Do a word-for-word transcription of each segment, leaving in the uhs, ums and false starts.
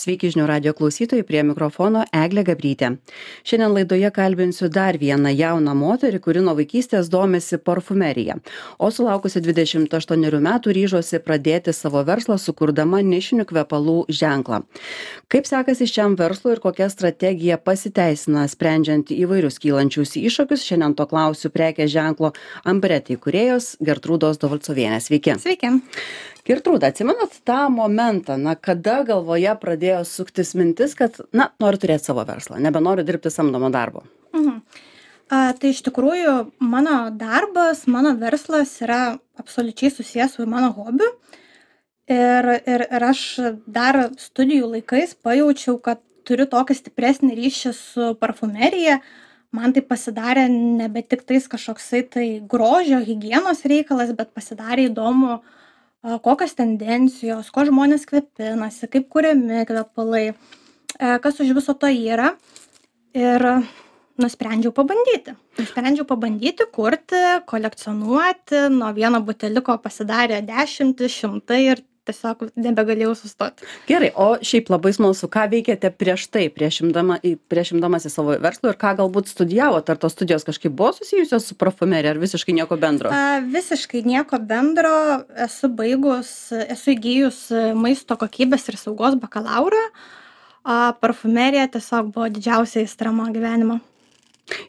Sveiki žinių radio klausytojai, prie mikrofono Eglė Gabrytė. Šiandien laidoje kalbinsiu dar vieną jauną moterį, kuri nuo vaikystės domisi parfumerija, o sulaukusi dvidešimt aštuonerių metų ryžosi pradėti savo verslą, sukurdama nišinių kvepalų ženklą. Kaip sekasi šiam verslui ir kokia strategija pasiteisina sprendžiant įvairius kylančius iššūkius, šiandien to klausiu prekės ženklo Ambretti įkūrėjos Gertrūdos Dovalcovienės. Sveiki. Sveiki. Gertrūda, atsimenat tą momentą, na, kada galvoje pradėjo suktis mintis, kad, na, noriu turėti savo verslą, nebenoriu dirbti samdomo darbo? Mhm. A, tai iš tikrųjų mano darbas, mano verslas yra absoliučiai susijęs su mano hobiu. Ir, ir, ir aš dar studijų laikais pajaučiau, kad turiu tokį stipresnį ryšį su parfumerija. Man tai pasidarė nebe tik tais kažkoksai tai grožio, higienos reikalas, bet pasidarė įdomu, kokios tendencijos, ko žmonės kvepinasi, kaip kuriami kvepalai, kas už viso to yra. Ir nusprendžiau pabandyti. Nusprendžiau pabandyti, kurti, kolekcionuoti. Nuo vieno buteliko pasidarė dešimtį, šimtai ir tiesiog nebegalėjau sustoti. Gerai, o šiaip labai smalsu, ką veikėte prieš tai, prieš, imdama, prieš imdamas į savo verslą ir ką galbūt studijavote? Ar tos studijos kažkaip buvo susijusios su parfumerija, ar visiškai nieko bendro? A, visiškai nieko bendro. Esu baigus, esu įgijus maisto kokybės ir saugos bakalaurą. A, parfumerija tiesiog buvo didžiausia aistra mano gyvenimo.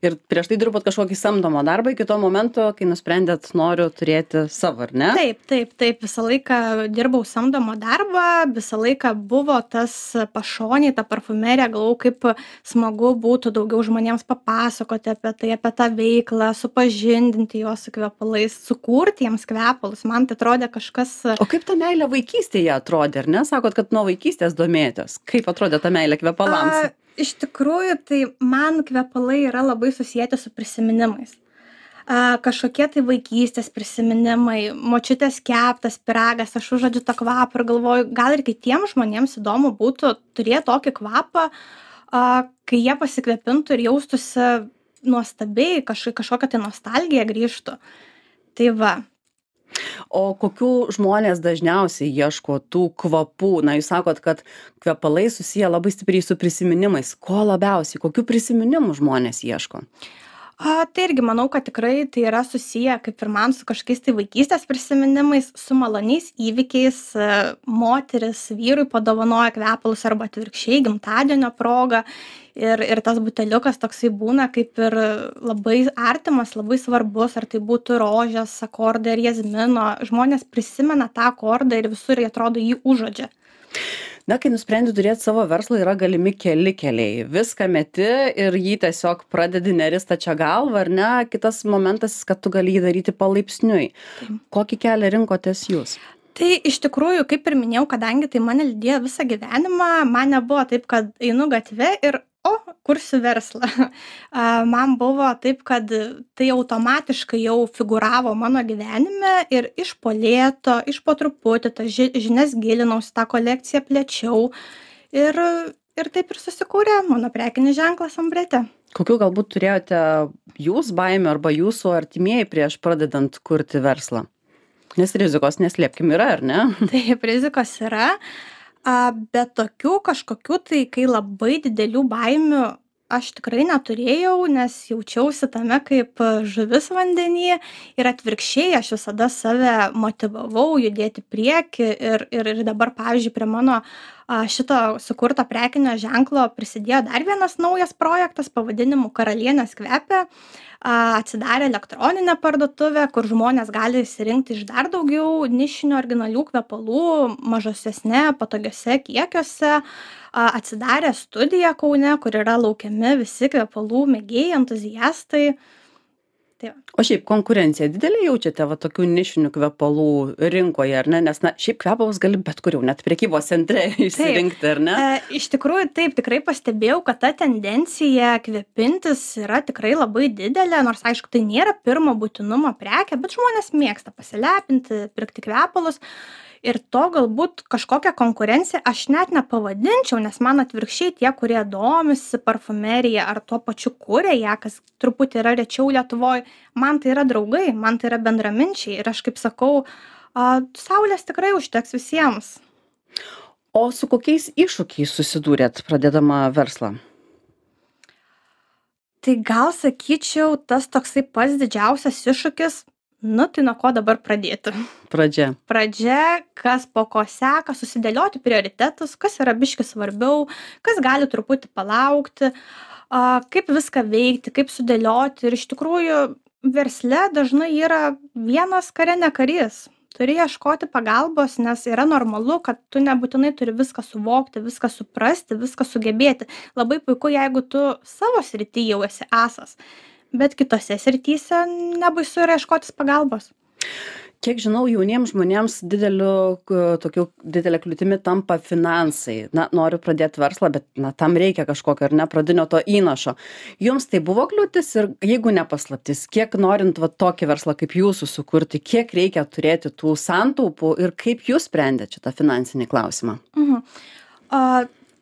Ir prieš tai dirbot kažkokį samdomą darbą iki to momento, kai nusprendėt noriu turėti savo, ar ne? Taip, taip, taip. Visą laiką dirbau samdomą darbą, visą laiką buvo tas pašoniai, ta parfumerija, galvau, kaip smagu būtų daugiau žmonėms papasakoti apie tai, apie tą veiklą, supažindinti juos su kvepalais, sukurti jiems kvepalus. Man tai atrodė kažkas... O kaip ta meilė vaikystėje atrodė, ar ne? Sakot, kad nuo vaikystės domėjotės. Kaip atrodė ta meilė kvepalams? A, iš tikrųjų, tai man kvepalai yra labai susijęti su prisiminimais. A, kažkokie tai vaikystės prisiminimai, močiutės keptas pyragas, aš užuodžiu tą kvapą ir galvoju, gal ir kitiems žmonėms įdomu būtų turėti tokį kvapą, a, kai jie pasikvepintų ir jaustųsi nuostabiai, kaž, kažkokia tai nostalgija grįžtų. Tai va. O kokių žmonės dažniausiai ieško tų kvapų? Na, jūs sakot, kad kvepalai susiję labai stipriai su prisiminimais. Ko labiausiai? Kokių prisiminimų žmonės ieško? A, tai irgi manau, kad tikrai tai yra susiję, kaip ir man, su kažkokiais tai vaikystės prisiminimais, su maloniais įvykiais. Moteris vyrui padovanoja kvepalus arba atvirkščiai gimtadienio proga. Ir, ir tas buteliukas toksai būna kaip ir labai artimas, labai svarbus, ar tai būtų rožės akordai ar jazmino. Žmonės prisimena tą akordą ir visur jie atrodo jį užuodžia. Na, kai nusprendi turėti savo verslą, yra galimi keli keliai. Viską meti ir jį tiesiog pradedi nerista čia galva, ar ne? Kitas momentas, kad tu gali jį daryti palaipsniui. Taip. Kokį kelią rinkotės jūs? Tai iš tikrųjų, kaip ir minėjau, kadangi tai mane lydėjo visą gyvenimą, man nebuvo taip, kad einu gatve ir o, kursiu verslą. Man buvo taip, kad tai automatiškai jau figuravo mano gyvenime ir iš po lėto, iš po truputį, tas žinias gilinausi, tą kolekciją plėčiau ir, ir taip ir susikūrė mano prekinis ženklas Ambretti. Kokių galbūt turėjote jūs baimių arba jūsų artimieji prieš pradedant kurti verslą? Nes rizikos neslėpkim yra, ar ne? Taip, rizikos yra. Bet tokių kažkokių tai, kai labai didelių baimių aš tikrai neturėjau, nes jaučiausi tame kaip žuvis vandenyje ir atvirkščiai aš visada save motyvavau judėti prieki ir, ir, ir dabar, pavyzdžiui, prie mano šito sukurto prekinio ženklo prisidėjo dar vienas naujas projektas pavadinimu Karalienės kvepia. Atsidarė elektroninę parduotuvę, kur žmonės gali įsirinkti iš dar daugiau nišinių originalių kvepalų, mažosesne, patogiose kiekiuose. Atsidarė studija Kaune, kur yra laukiami visi kvepalų mėgėjai, entuziastai. Tai o šiaip konkurencija didelė jaučiate va tokių nišinių kvepalų rinkoje, ar ne? Nes na, šiaip kvepalus gali bet kur jau, net prekybos centre išsirinkti, ar ne? E, iš tikrųjų, taip, tikrai pastebėjau, kad ta tendencija kvepintis yra tikrai labai didelė, nors aišku, tai nėra pirmo būtinumo prekė, bet žmonės mėgsta pasilepinti, pirkti kvepalus. Ir to galbūt kažkokią konkurenciją aš net nepavadinčiau, nes man atvirkščiai tie, kurie domisi parfumerija ar tuo pačiu kuria ją, kas truputį yra rečiau Lietuvoj, man tai yra draugai, man tai yra bendraminčiai ir aš kaip sakau, a, saulės tikrai užteks visiems. O su kokiais iššūkiais susidūrėt pradėdama verslą? Tai gal sakyčiau, tas toksai pats didžiausias iššūkis, nu tai nuo ko dabar pradėti? Pradžia. Pradžia, kas po ko seka, susidėlioti prioritetus, kas yra biški svarbiau, kas gali truputį palaukti, a, kaip viską veikti, kaip sudėlioti. Ir iš tikrųjų versle dažnai yra vienas kare ne karys. Turi ieškoti pagalbos, nes yra normalu, kad tu nebūtinai turi viską suvokti, viską suprasti, viską sugebėti. Labai puiku, jeigu tu savo srity jau esi asas, bet kitose srityse nebaisu yra ieškotis pagalbos. Kiek žinau, jauniems žmonėms dideliu, tokiu, didelė kliūtimi tampa finansai. Na, noriu pradėti verslą, bet na, tam reikia kažkokio ar ne pradinio to įnašo. Jums tai buvo kliūtis ir jeigu nepaslaptis, kiek norint va, tokį verslą kaip jūsų sukurti, kiek reikia turėti tų santaupų ir kaip jūs sprendėte šitą finansinį klausimą? Mhm. A,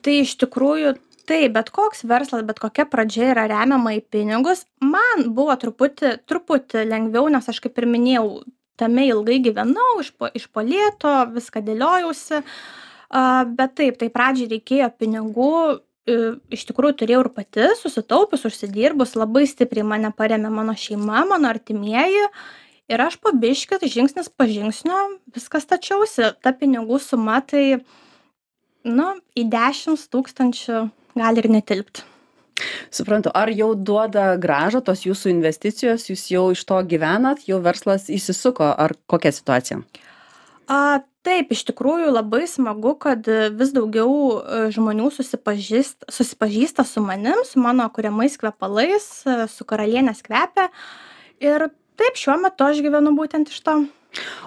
tai iš tikrųjų taip, bet koks verslas, bet kokia pradžia yra remiama į pinigus. Man buvo truputį, truputį lengviau, nes aš kaip ir minėjau, tame ilgai gyvenau, iš po, iš po lėto, viską dėliojausi, uh, bet taip, tai pradžiai reikėjo pinigų, uh, iš tikrųjų turėjau ir pati, susitaupius, užsidirbus, labai stipriai mane paremė mano šeima, mano artimieji ir aš po biškį, žingsnis po žingsnio, viskas stačiausi, ta pinigų suma tai, nu, į dešimt tūkstančių gali ir netilpti. Suprantu, ar jau duoda grąžą tos jūsų investicijos, jūs jau iš to gyvenat, jau verslas įsisuko, ar kokia situacija? A, taip, iš tikrųjų labai smagu, kad vis daugiau žmonių susipažįsta, susipažįsta su manim, su mano kuriamais kvepalais, su karalienės kvepia. Ir taip, šiuo metu aš gyvenu būtent iš to.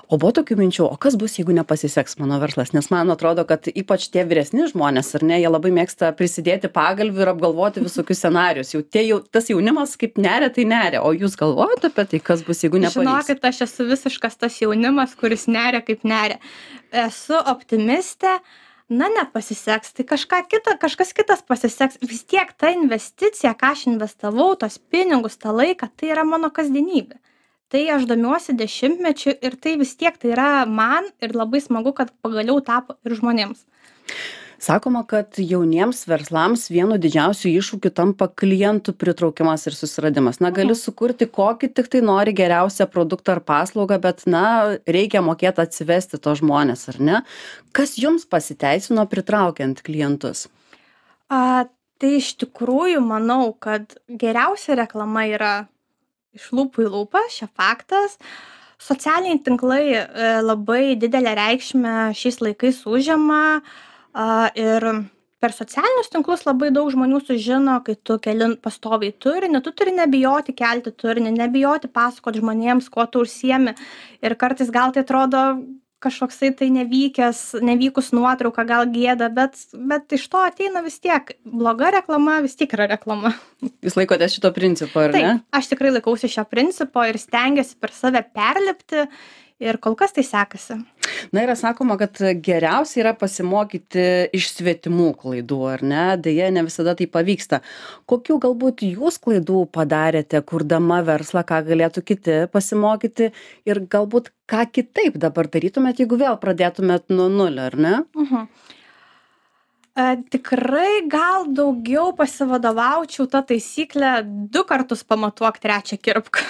O buvo tokių minčių, o kas bus, jeigu nepasiseks mano verslas? Nes man atrodo, kad ypač tie vyresni žmonės, ar ne, jie labai mėgsta prisidėti pagalvių ir apgalvoti visokius scenarius. Jau, tie, jau tas jaunimas kaip neria, tai neria. O jūs galvojate apie tai, kas bus, jeigu nepavyks? Žinokit, aš esu visiškas tas jaunimas, kuris neria kaip neria. Esu optimistė, na nepasiseks, tai kažką kita, kažkas kitas pasiseks. Vis tiek ta investicija, ką aš investavau, tos pinigus, tą laiką, tai yra mano kasdienybė. Tai aš domiuosi dešimtmečiu ir tai vis tiek tai yra man ir labai smagu, kad pagaliau tapo ir žmonėms. Sakoma, kad jauniems verslams vienu didžiausių iššūkių tampa klientų pritraukimas ir susiradimas. Na, gali sukurti kokį tik tai nori geriausią produktą ar paslaugą, bet, na, reikia mokėti atsivesti to žmonės, ar ne? Kas jums pasiteisino pritraukiant klientus? A, tai iš tikrųjų manau, kad geriausia reklama yra iš lūpų į lūpą, čia faktas. Socialiniai tinklai e, labai didelę reikšmę šiais laikais užima e, ir per socialinius tinklus labai daug žmonių sužino, kai tu keli pastoviai turinį, tu turi nebijoti kelti turinį, nebijoti pasakoti žmonėms, kuo tu užsiemi. Ir kartais gal tai atrodo kažkoksai tai nevykęs, nevykus nuotrauka, gal gėda, bet, bet iš to ateina vis tiek. Bloga reklama vis tiek yra reklama. Jūs laikotės šito principo, ar ne? Taip, aš tikrai laikausi šio principo ir stengiuosi per save perlipti ir kol kas tai sekasi. Na, yra sakoma, kad geriausia yra pasimokyti iš svetimų klaidų, ar ne? Deja, ne visada tai pavyksta. Kokių galbūt jūs klaidų padarėte, kurdama verslą, ką galėtų kiti pasimokyti ir galbūt ką kitaip dabar darytumėt, jeigu vėl pradėtumėt nuo nulio, ar ne? Uh-huh. E, tikrai gal daugiau pasivadovaučiau tą taisyklę du kartus pamatuok, trečią kirpk.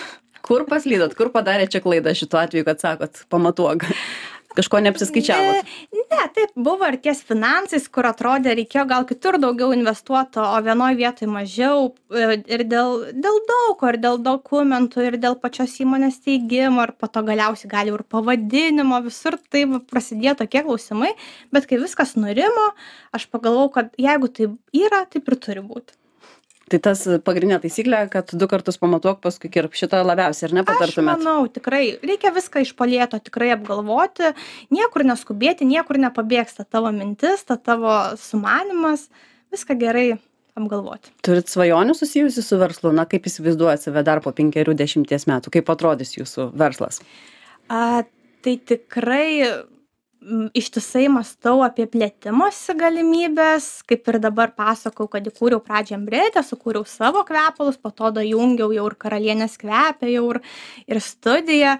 Kur paslydot, kur padarė čia klaidą šituo atveju, kad sakot, pamatuok? Kažko neapsiskaičiavot? Ne, ne, taip buvo ir ties finansais, kur atrodė, reikėjo gal kitur daugiau investuoto, o vienoj vietoj mažiau ir dėl, dėl daug, ir dėl dokumentų, ir dėl pačios įmonės steigimo, ir po to galiausiai gali ir pavadinimo, visur tai prasidėjo tokie klausimai, bet kai viskas nurimo, aš pagalvojau, kad jeigu tai yra, taip ir turi būti. Tai tas pagrindinė taisyklė, kad du kartus pamatuok, paskui kirp, šitą labiausiai, ar ne patartumėt? Aš manau, tikrai, reikia viską iš po lėto tikrai apgalvoti, niekur neskubėti, niekur nepabėgsta tavo mintis, ta tavo sumanimas, viską gerai apgalvoti. Turit svajonių susijusių su verslu, na kaip įsivaizduojat save dar po penkerių dešimties metų, kaip atrodys jūsų verslas? A, tai tikrai ištisai mąstau apie plėtimosi galimybės, kaip ir dabar pasakau, kad įkūriau pradžią Embretę, sukūriau savo kvepalus, po to dajungiau jau ir karalienės kvepę, jau ir, ir studiją.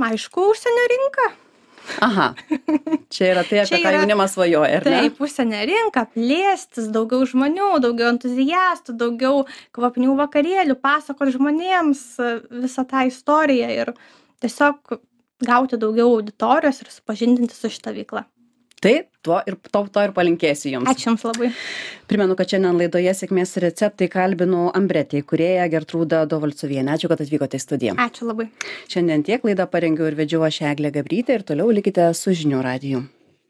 Aišku, užsienio rinka. Aha, čia yra tai, apie Čia ką yra- jaunimas svajoja, ar ne? Taip, užsienio rinka, plėstis, daugiau žmonių, daugiau entuziastų, daugiau kvapnių vakarėlių, pasakot žmonėms e, visą tą istoriją ir tiesiog gauti daugiau auditorijos ir supažindinti su šita veikla. Tai tuo ir, to, to ir palinkėsiu jums. Ačiū Jums labai. Primenu, kad šiandien laidoje sėkmės receptai kalbinu Ambretė įkūrėją Gertrūdą Dovalcovienę. Ačiū, kad atvykote į studiją. Ačiū labai. Šiandien tiek laidą parengiau ir vedžiau aš Eglė Gabrytė ir toliau likite su žinių radiju.